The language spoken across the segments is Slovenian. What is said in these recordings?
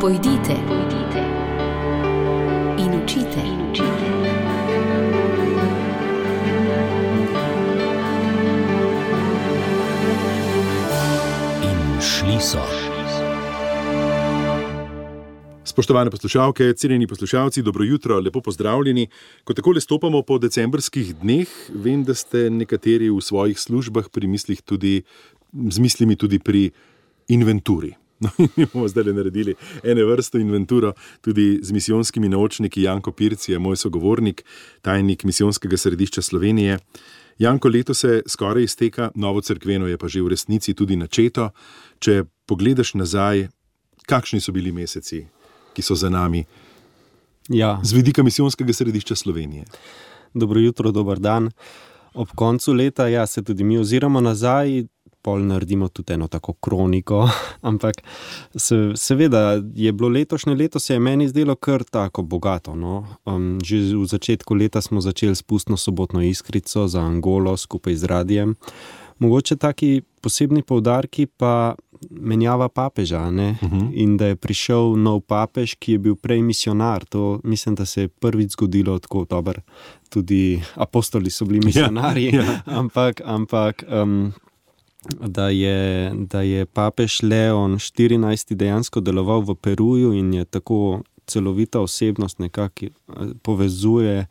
Pojdite in učite. In šli so. Spoštovane poslušalke, cenjeni poslušalci, dobro jutro, lepo pozdravljeni. Ko takole stopamo po decembrskih dneh, vem, da ste nekateri v svojih službah z mislimi tudi pri inventuri. No, in mi bomo zdaj naredili ene vrsto inventuro tudi z misijonskimi naučniki. Janko Pirc je moj sogovornik, tajnik Misijonskega središča Slovenije. Janko, leto se skoraj izteka, novo cerkveno je pa že v resnici tudi načeto. Če pogledaš nazaj, kakšni so bili meseci, ki so za nami, z vidika Misijonskega središča Slovenije? Dobro jutro, dober dan. Ob koncu leta se tudi mi oziramo nazaj, pol naredimo tudi eno tako kroniko, ampak seveda je bilo letošnje leto, se je meni zdelo kar tako bogato. No? Že v začetku leta smo začeli s pustno sobotno iskrico za Angolo skupaj z radijem. Mogoče taki posebni poudarki pa menjava papeža, ne? In da je prišel nov papež, ki je bil prej misionar. To mislim, da se je prvič zgodilo tako dobro. Tudi apostoli so bili misionarji, ampak da je papež Leon 14. dejansko deloval v Peruju in je tako celovita osebnost, nekako povezuje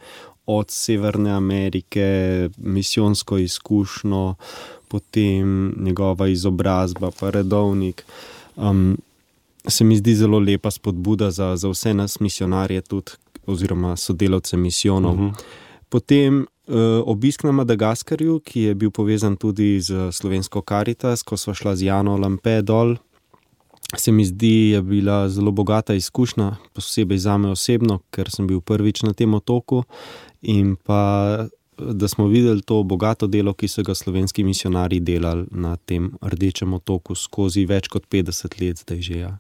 od Severne Amerike, misijonsko izkušnjo, potem njegova izobrazba, pa redovnik. Se mi zdi zelo lepa spodbuda za vse nas misionarje tudi, oziroma sodelavce misijonov. Potem obisk na Madagaskarju, ki je bil povezan tudi z slovensko Karitas, ko sva šla z Jano Lampe dol. Se mi zdi, je bila zelo bogata izkušnja, posebej zame osebno, ker sem bil prvič na tem otoku, in pa da smo videli to bogato delo, ki so ga slovenski misionarji delali na tem Rdečem otoku skozi več kot 50 let zdaj že.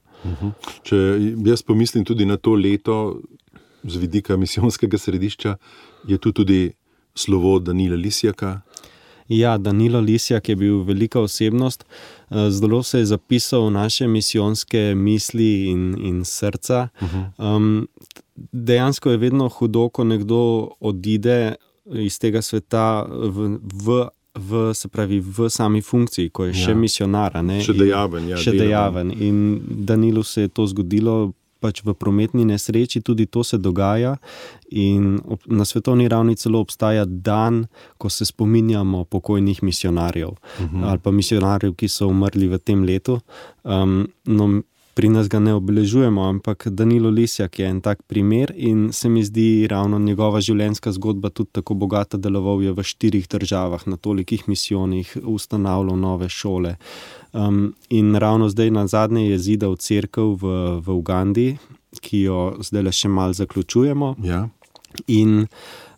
Če jaz pomislim tudi na to leto z vidika Misijonskega središča, je tu tudi slovo Danila Lisjaka. Ja, Danilo Lisjak je bil velika osebnost. Zelo se je zapisal v naše misijonske misli in srca. Dejansko je vedno hudo, ko nekdo odide iz tega sveta v sami funkciji, ko je še misionar. Še dejaven. In Danilu se je to zgodilo pač v prometni nesreči, tudi to se dogaja in na svetovni ravni celo obstaja dan, ko se spominjamo pokojnih misionarjev ali pa misionarjev, ki so umrli v tem letu. Pri nas ga ne obeležujemo, ampak Danilo Lisjak je en tak primer in se mi zdi ravno njegova življenjska zgodba tudi tako bogata. Deloval je v 4 državah, na tolikih misijonih, ustanavljal nove šole. In ravno zdaj na zadnje je zidal cerkev v Ugandi, ki jo zdaj še malo zaključujemo. In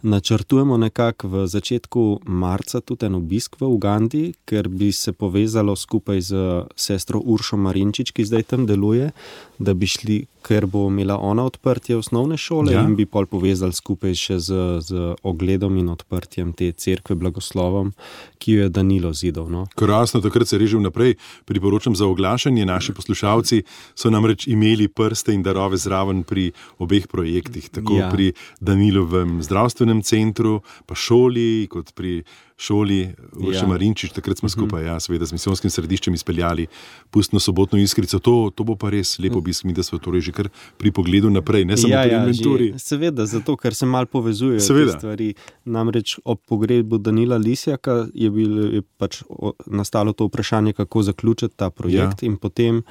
načrtujemo nekako v začetku marca tudi en obisk v Ugandi, ker bi se povezalo skupaj z sestro Uršo Marinčič, ki zdaj tam deluje, da bi šli, ker bo imela ona odprtje osnovne šole in bi pol povezali skupaj še z ogledom in odprtjem te cerkve blagoslovom, ki jo je Danilo zidal. No. Krasno, takrat se reži vnaprej. Priporočam za oglašanje. Naši poslušalci so namreč imeli prste in darove zraven pri obeh projektih, tako pri Danilovem zdravstvenem centru, pa šoli, kot pri šoli Urše Marinčič. Takrat smo skupaj, seveda, z Misijonskim središčem izpeljali pustno sobotno iskrico. To bo pa res lepo obisk, mi da smo torej že kar pri pogledu naprej, ne samo pri inventuri. Seveda, zato, ker se malo povezujejo te stvari. Namreč ob pogrebu Danila Lisjaka je pač nastalo to vprašanje, kako zaključiti ta projekt in potem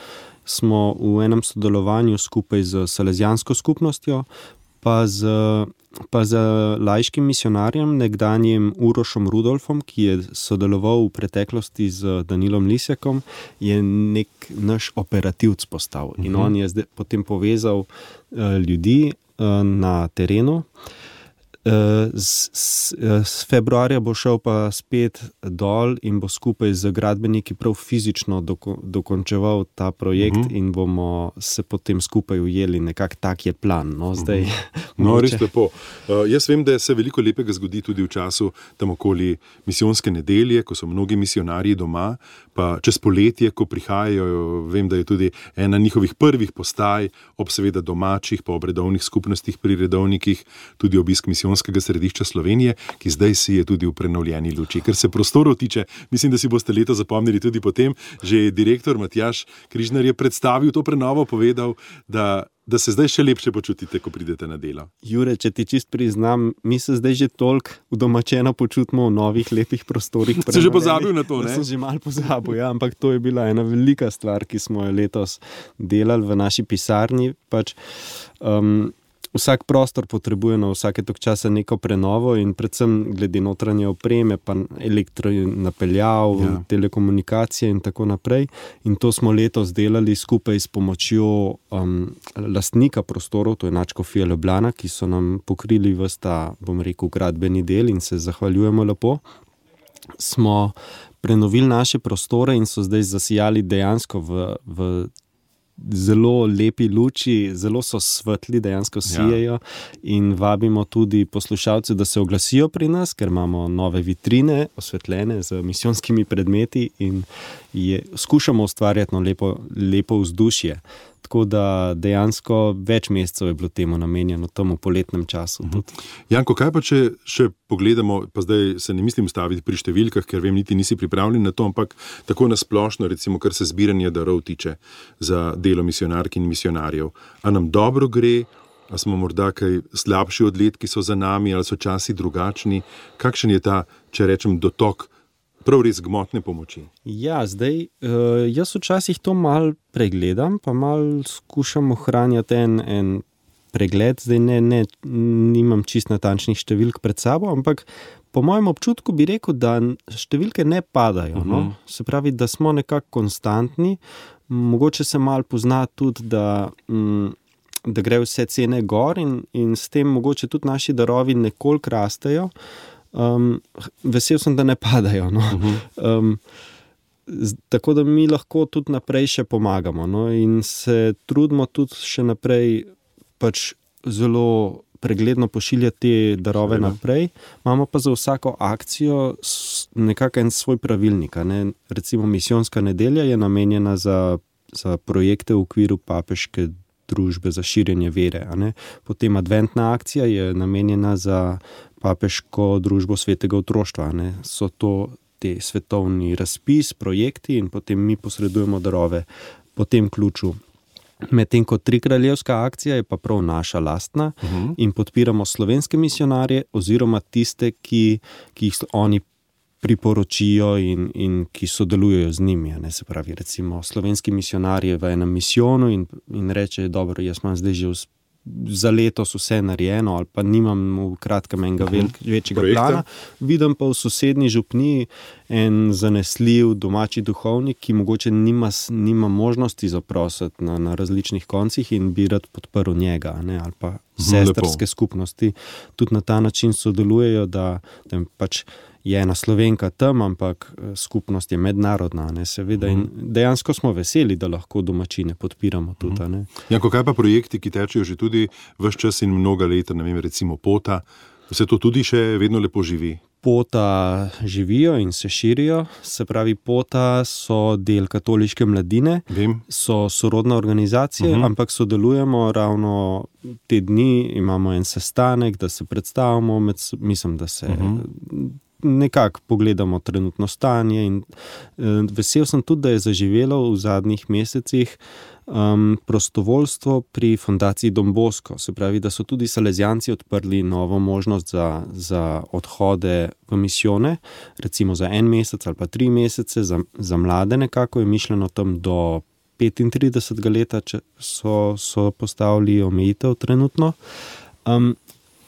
smo v enem sodelovanju skupaj z Salezijansko skupnostjo pa z laiškim misionarjem, nekdanjim Urošom Rudolfom, ki je sodeloval v preteklosti z Danilom Lisjakom, je nek naš operativc postal. In on je zdaj potem povezal ljudi na terenu. S februarja bo šel pa spet dol in bo skupaj z gradbeniki prav fizično dokončeval ta projekt in bomo se potem skupaj ujeli. Nekako tak je plan. Zdaj, res lepo. Jaz vem, da se veliko lepega zgodi tudi v času tam okoli misijonske nedelje, ko so mnogi misionarji doma, pa čez poletje, ko prihajajo, vem, da je tudi ena njihovih prvih postaj ob seveda domačih, pa ob redovnih skupnostih pri redovnikih, tudi obisk misijonskega središča Slovenije, ki zdaj si je tudi v prenovljeni luči. Ker se prostorov tiče, mislim, da si boste leto zapomnili tudi potem, že direktor Matjaž Križnar je predstavil to prenovo, povedal, da se zdaj še lepše počutite, ko pridete na delo. Jure, če ti čist priznam, mi se zdaj že toliko udomačeno počutimo v novih lepih prostorih. Si že pozabil na to, ne? Sem že malo pozabil, ja, ampak to je bila ena velika stvar, ki smo jo letos delali v naši pisarni. Vsak prostor potrebuje na vsake tok časa neko prenovo in predvsem glede notranje opreme, pa elektronapeljav, telekomunikacije in tako naprej. In to smo letos delali skupaj s pomočjo lastnika prostorov, to je Nadškofija Ljubljana, ki so nam pokrili ves ta, bom rekel, gradbeni del in se zahvaljujemo lepo. Smo prenovili naše prostore in so zdaj zasijali dejansko v zelo lepi luči, zelo so svetli, dejansko sijejo in vabimo tudi poslušalce, da se oglasijo pri nas, ker imamo nove vitrine osvetljene z misijonskimi predmeti in skušamo ustvarjati lepo vzdušje. Tako da dejansko več mesecev je bilo temu namenjeno, temu poletnem času. Janko, kaj pa če še pogledamo, pa zdaj se ne mislim staviti pri številkah, ker vem, niti nisi pripravljen na to, ampak tako nasplošno, recimo, kar se zbiranja darov tiče za delo misionark in misionarjev. A nam dobro gre, a smo morda kaj slabši od let, ki so za nami, ali so časi drugačni? Kakšen je ta, če rečem, dotok prav res gmotne pomoči? Ja, zdaj, jaz včasih to malo pregledam, pa malo skušam ohranjati en pregled. Zdaj nimam čist natančnih številk pred sabo, ampak po mojem občutku bi rekel, da številke ne padajo. Se pravi, da smo nekako konstantni. Mogoče se malo pozna tudi, da gre vse cene gor in s tem mogoče tudi naši darovi nekoliko rastejo. Vesel sem, da ne padajo. Tako da mi lahko tudi naprej še pomagamo in se trudimo tudi še naprej pač zelo pregledno pošiljati te darove naprej. Imamo pa za vsako akcijo nekako en svoj pravilnik. Recimo misijonska nedelja je namenjena za projekte v okviru papeške družbe za širjenje vere. Potem adventna akcija je namenjena za papeško družbo svetega otroštva. So to te svetovni razpis, projekti in potem mi posredujemo darove po tem ključu. Medtem ko Trikraljevska akcija je pa prav naša lastna in podpiramo slovenske misionarje oziroma tiste, ki jih oni priporočijo in ki sodelujejo z njimi. Se pravi, recimo slovenski misionar je v enem misijonu in reče, dobro, jaz imam zdaj že za letos vse narejeno ali pa nimam v kratkem enega večjega plana. Vidim pa v sosednji župniji en zanesljiv domači duhovnik, ki mogoče nima možnosti zaprositi na različnih koncih in bi rad podprl njega, ali pa sestrske skupnosti. Tudi na ta način sodelujejo, da pač je ena Slovenka tam, ampak skupnost je mednarodna, seveda. In dejansko smo veseli, da lahko domačine podpiramo tudi. Janko, kaj pa projekti, ki tečejo že tudi ves čas in mnoga leta, recimo Pota, vse to tudi še vedno lepo živi? Pota živijo in se širijo, se pravi, Pota so del katoliške mladine, so sorodna organizacija, ampak sodelujemo ravno te dni, imamo en sestanek, da se predstavimo, mislim, da se nekako pogledamo trenutno stanje in vesel sem tudi, da je zaživelo v zadnjih mesecih prostovoljstvo pri Fundaciji Don Bosco. Se pravi, da so tudi Salezijanci odprli novo možnost za odhode v misijone, recimo za 1 mesec ali pa 3 mesece, za mlade nekako je mišljeno tam do 35 leta, če so postavili omejitev trenutno.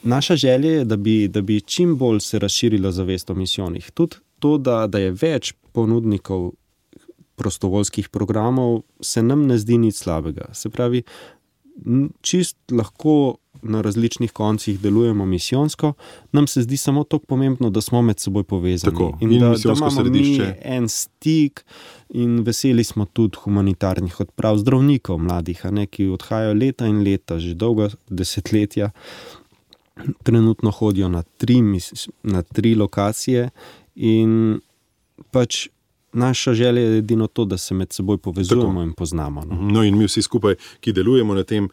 Naša želja je, da bi čim bolj se razširila zavest o misijonih. Tudi to, da je več ponudnikov prostovoljskih programov, se nam ne zdi nič slabega. Se pravi, čist lahko na različnih koncih delujemo misijonsko, nam se zdi samo tako pomembno, da smo med seboj povezani. Tako, in da imamo središče. Mi en stik in veseli smo tudi humanitarnih odprav zdravnikov mladih, ki odhajajo leta in leta, že dolgo desetletja, trenutno hodijo na 3 lokacije in pač naša želja je edino to, da se med seboj povezujemo in poznamo. No in mi vsi skupaj, ki delujemo na tem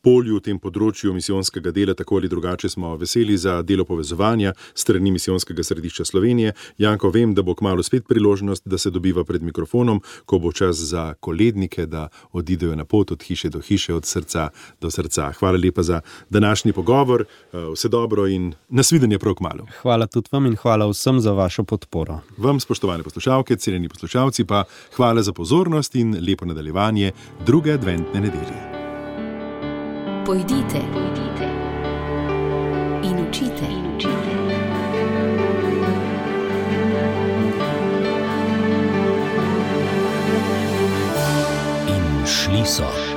polju, v tem področju misijonskega dela, tako ali drugače smo veseli za delo povezovanja strani Misijonskega središča Slovenije. Janko, vem, da bo kmalu spet priložnost, da se dobiva pred mikrofonom, ko bo čas za kolednike, da odidejo na pot od hiše do hiše, od srca do srca. Hvala lepa za današnji pogovor, vse dobro in nasvidenje prav kmalu. Hvala tudi vam in hvala vsem za vašo podporo. Vam, spoštovane poslušalke, cenjeni poslušalci, pa hvala za pozornost in lepo nadaljevanje druge adventne nedelje. Pojdite in učite. In šli so.